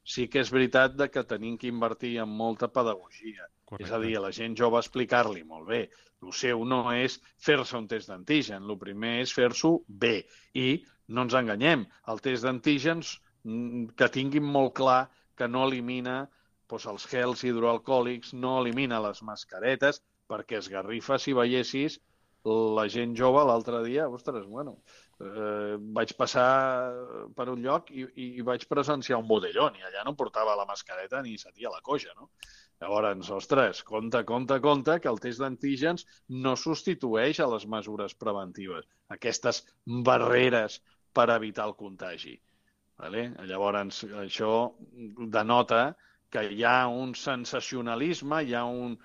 Sí que és veritat que tenim que invertir en molta pedagogia. Correcte. És a dir, a la gent jove explicar-li molt bé. El seu no és fer-se un test d'antigen, el primer és fer-s'ho bé. I no ens enganyem, el test d'antígens que tinguin molt clar que no elimina els gels hidroalcohòlics, no elimina les mascaretes, perquè esgarrifa si veiessis la gent jove l'altre dia, vaig passar per un lloc i vaig presenciar un botellón i allà no portava la mascareta ni sentia la coixa, no? Llavors, ostres, compte, que el test d'antígens no substitueix a les mesures preventives, aquestes barreres per evitar el contagi. Llavors, això denota que hi ha un sensacionalisme, hi ha un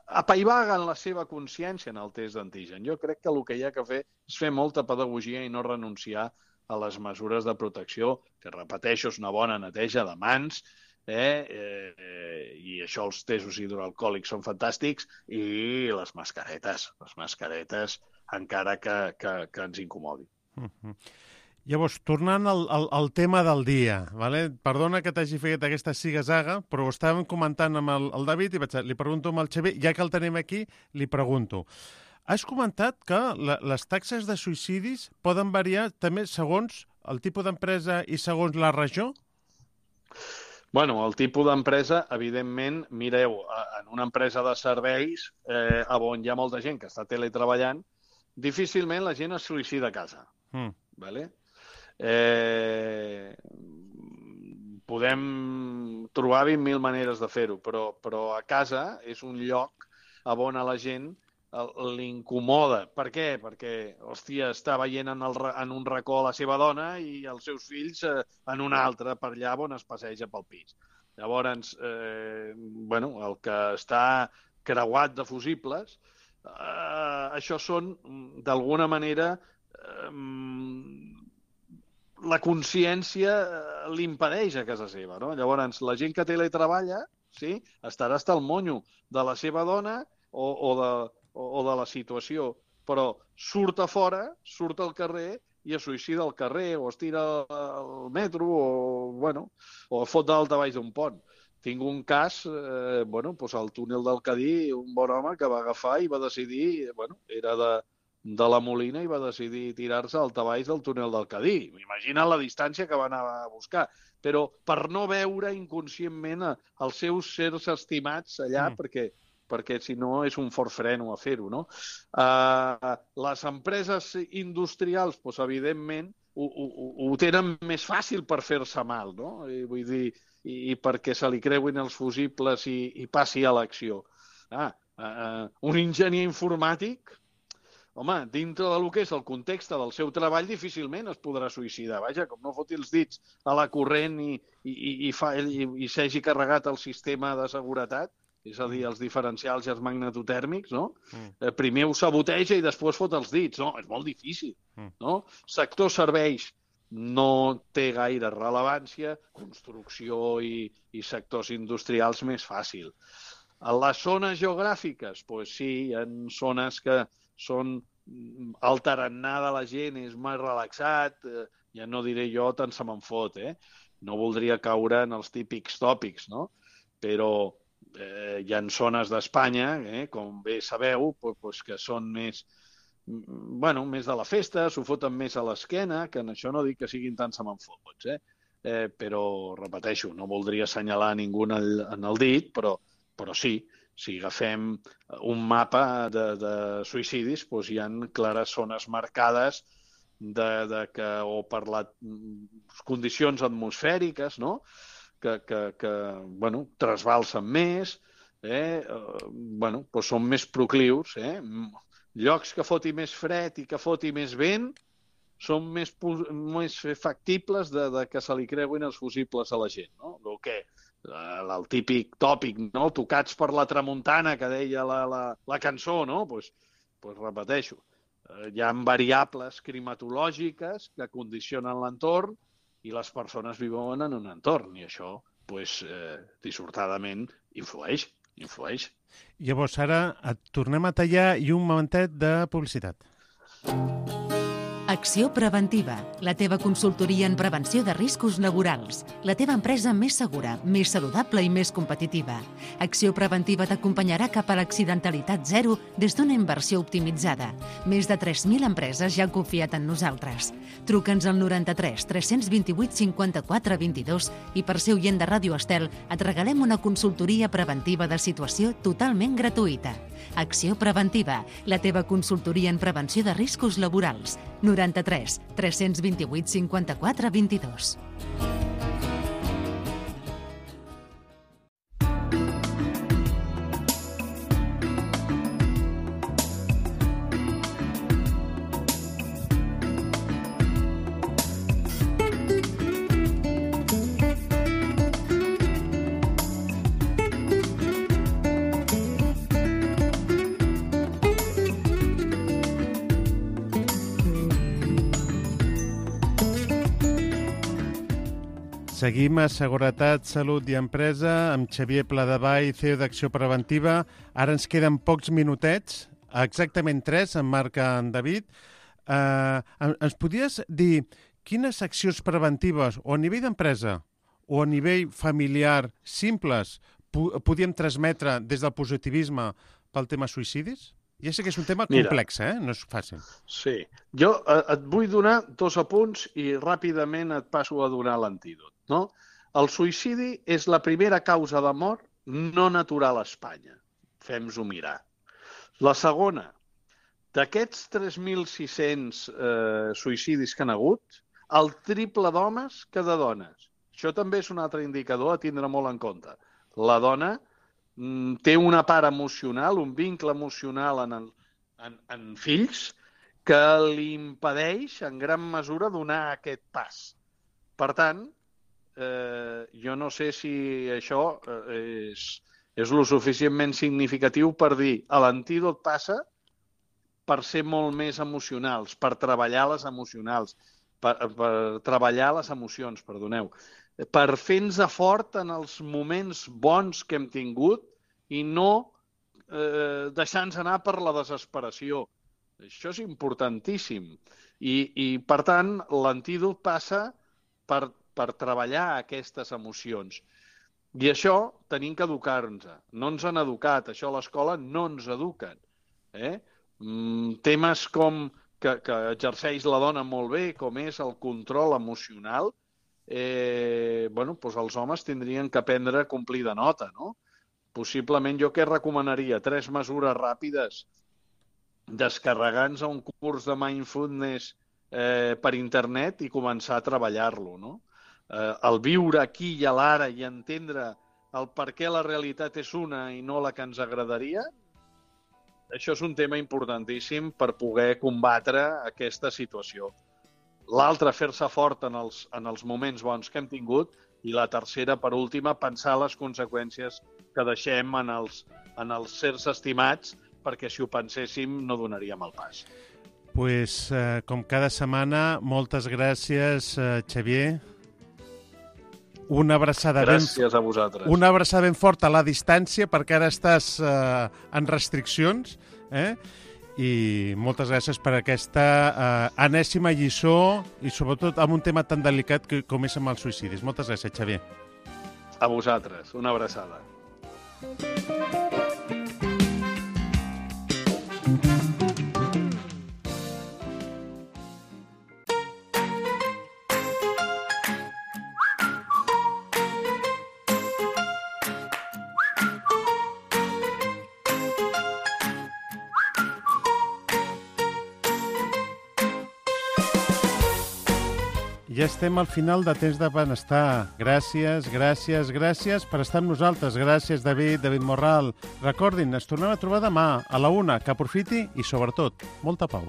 apaivaguen la seva consciència en el test d'antigen. Jo crec que el que hi ha que fer és fer molta pedagogia i no renunciar a les mesures de protecció, que, repeteixo, és una bona neteja de mans, i això, els testos hidroalcohòlics són fantàstics, i les mascaretes, encara que ens incomodi. Llavors, tornant al tema del dia, perdona que t'hagi fet aquesta ziga-zaga, però ho estàvem comentant amb el David i li pregunto amb el Xavier, ja que el tenim aquí, li pregunto. Has comentat que les taxes de suïcidis poden variar també segons el tipus d'empresa i segons la regió? El tipus d'empresa, evidentment, mireu, en una empresa de serveis, on hi ha molta gent que està teletreballant, difícilment la gent es suïcida a casa. Podem trobar 20.000 maneres de fer-ho, però a casa és un lloc on a la gent l'incomoda. Per què? Perquè, hòstia, està veient en un racó la seva dona i els seus fills en un altre, per allà on es passeja pel pis. Llavors, el que està creuat de fusibles, això són, d'alguna manera, la consciència l'impedeix a casa seva, no? Llavors, la gent que teletreballa estarà hasta el monyo de la seva dona o de la situació, però surt a fora, surt al carrer i es suïcida al carrer, o es tira al metro, o fot daltabaix d'un pont. Tinc un cas, al túnel del Cadí, un bon home que va agafar i va decidir, era de la Molina i va decidir tirar-se al daltabaix del túnel del Cadí. Imagina la distància que va anar a buscar. Però per no veure inconscientment els seus sers estimats allà, perquè si no és un fort freno a fer-ho, no? Les empreses industrials, evidentment, ho tenen més fàcil per fer-se mal, no? Vull dir, i perquè se li creuin els fusibles i passi a l'acció. Un enginyer informàtic, home, dintre del que és el context del seu treball, difícilment es podrà suïcidar. Vaja, com no foti els dits a la corrent i s'hagi carregat el sistema de seguretat, és a dir, els diferencials i els magnetotèrmics, no? Primer ho saboteja i després fot els dits. No, és molt difícil, no? Sector serveis no té gaire rellevància, construcció i sectors industrials més fàcil. A les zones geogràfiques, doncs sí, hi ha zones que són el tarannà de la gent és més relaxat, ja no diré jo, tant se me'n fot, No voldria caure en els típics tòpics, no? Però hi ha zones d'Espanya, com bé sabeu, que són més de la festa, s'ho foten més a l'esquena, que en això no dic que siguin tan se me'n fots, però, repeteixo, no voldria assenyalar ningú en el dit, però sí, si agafem un mapa de suïcidis, doncs hi ha clares zones marcades o per les condicions atmosfèriques, no? Que trasbalsen més, doncs són més proclius. Llocs que foti més fred i que foti més vent són més factibles que se li creuin els fusibles a la gent, no? El típic tòpic, no? Tocats per la tramuntana, que deia la cançó, no? Doncs repeteixo, hi ha variables climatològiques que condicionen l'entorn i les persones viuen en un entorn, i això, dissortadament, influeix. Llavors, ara et tornem a tallar i un momentet de publicitat. Acció Preventiva, la teva consultoria en prevenció de riscos laborals. La teva empresa més segura, més saludable i més competitiva. Acció Preventiva t'acompanyarà cap a l'accidentalitat zero des d'una inversió optimitzada. Més de 3.000 empreses ja han confiat en nosaltres. Truca'ns al 93 328 54 22 i per ser oient de Ràdio Estel et regalem una consultoria preventiva de situació totalment gratuïta. Acció Preventiva, la teva consultoria en prevenció de riscos laborals. 93 328 54 22. Seguim a Seguretat, Salut i Empresa amb Xavier Pladevall, CEO d'Acció Preventiva. Ara ens queden pocs minutets, exactament 3, en marca en David. Ens podries dir quines accions preventives, o a nivell d'empresa o a nivell familiar, simples, podíem transmetre des del positivisme pel tema suïcidis? Ja sé que és un tema complex, no és fàcil. Sí. Jo et vull donar 2 apunts i ràpidament et passo a donar l'antídot. No? El suïcidi és la primera causa de mort no natural a Espanya. Fem-nos-ho mirar. La segona, d'aquests 3.600 suïcidis que han hagut, el triple d'homes que de dones. Això també és un altre indicador a tindre molt en compte. La dona té una part emocional, un vincle emocional en fills que li impedeix en gran mesura donar aquest pas. Per tant, jo no sé si això és lo suficientment significatiu per dir l'antídot passa per ser molt més emocionals, per treballar les emocionals, per treballar les emocions, perdoneu, per fer-nos fort en els moments bons que hem tingut i no deixar-nos anar per la desesperació. Això és importantíssim. I per tant, l'antídot passa per treballar aquestes emocions. I això tenim que educar-nos. No ens han educat, això a l'escola no ens eduquen. Temes com que exerceix la dona molt bé, com és el control emocional, doncs els homes tindrien que aprendre a complir de nota, no? Possiblement jo què recomanaria? 3 mesures ràpides. Descarregar-nos a un curs de mindfulness per internet i començar a treballar-lo, no? El viure aquí i a l'ara i entendre el per què la realitat és una i no la que ens agradaria, això és un tema importantíssim per poder combatre aquesta situació. L'altre, fer-se fort en els moments bons que hem tingut, i la tercera, per última, pensar les conseqüències que deixem en els sers estimats, perquè si ho penséssim no donaríem el pas. Pues, com cada setmana, moltes gràcies, Xavier. Una abraçada Gràcies a vosaltres. Una abraçada ben forta a la distància, perquè ara estàs en restriccions, i moltes gràcies per aquesta enèsima lliçó i sobretot amb un tema tan delicat com és amb els suïcidis. Moltes gràcies, Xavier. A vosaltres, una abraçada. Ja estem al final de Temps de Benestar. Gràcies per estar amb nosaltres. Gràcies, David Morral. Recordin, ens tornem a trobar demà a la 1. Que aprofiti i, sobretot, molta pau.